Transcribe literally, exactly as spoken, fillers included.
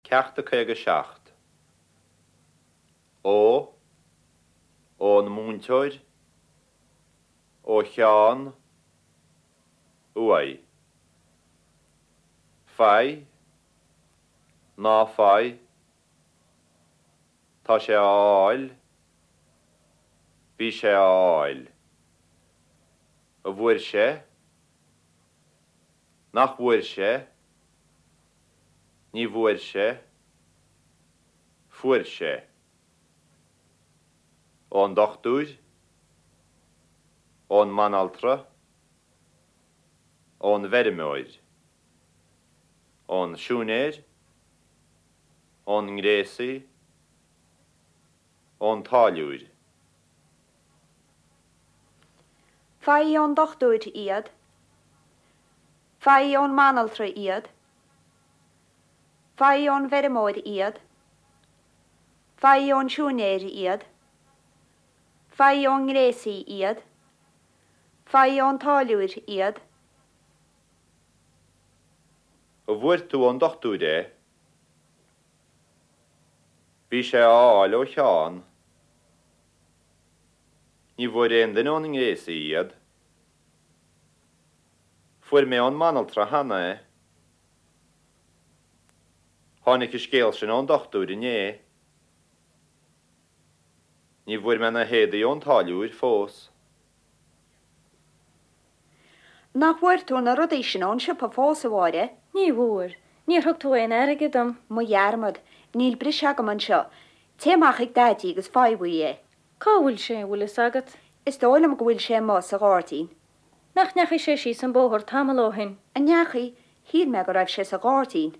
Ceacht a caoga seacht. Ó, ón múinteoir, ó Sheán, uaidh. Faigh, ná faigh, Tá sé á fháil, bhí sé á fháil. An bhfuair sé, nach bhfuair sé, ní bhfuair sé, fuair sé. Ón dochtúir, ón mbanaltra, ón bhfeirmeoir, ón siúinéir, ón ngréasaí, ón táilliúir. Faigh ón dochtúir iad, Faigh ón mbanaltra iad, Faigh ón bhfeirmeoir iad, Faigh ón siúinéir iad, Faigh ón ngréasaí iad, Faigh ón táilliúir iad. An bhfuair tú ón dochtúir é? Bhí sé á fháil ó Sheán. Ní bhfuair aon duine ón ngréasaí iad. Fuair mé ón mbanaltra cheana é. Tháinig an scéal sin ón dochtúir inné. Ní bhfuair mé na héadaí ón táilliúir fós. Nach bhfuair tú na rudaí sin ón siopa fós a Mháire? Ní bhfuair, níor thug tú aon airgead dom. Mo dhearmad, níl breis agam anseo. Téigh amach chuig Daidí agus faigh uaidh é. Cá bhfuil sé bhfuil fhios agat? Is dóigh liom go bhfuil sé amuigh sa ghairdín. Nach ndeachaigh sé síos an bóthar tamall ó shin. An ndeachaigh, shíl mé go raibh sé sa ghairdín.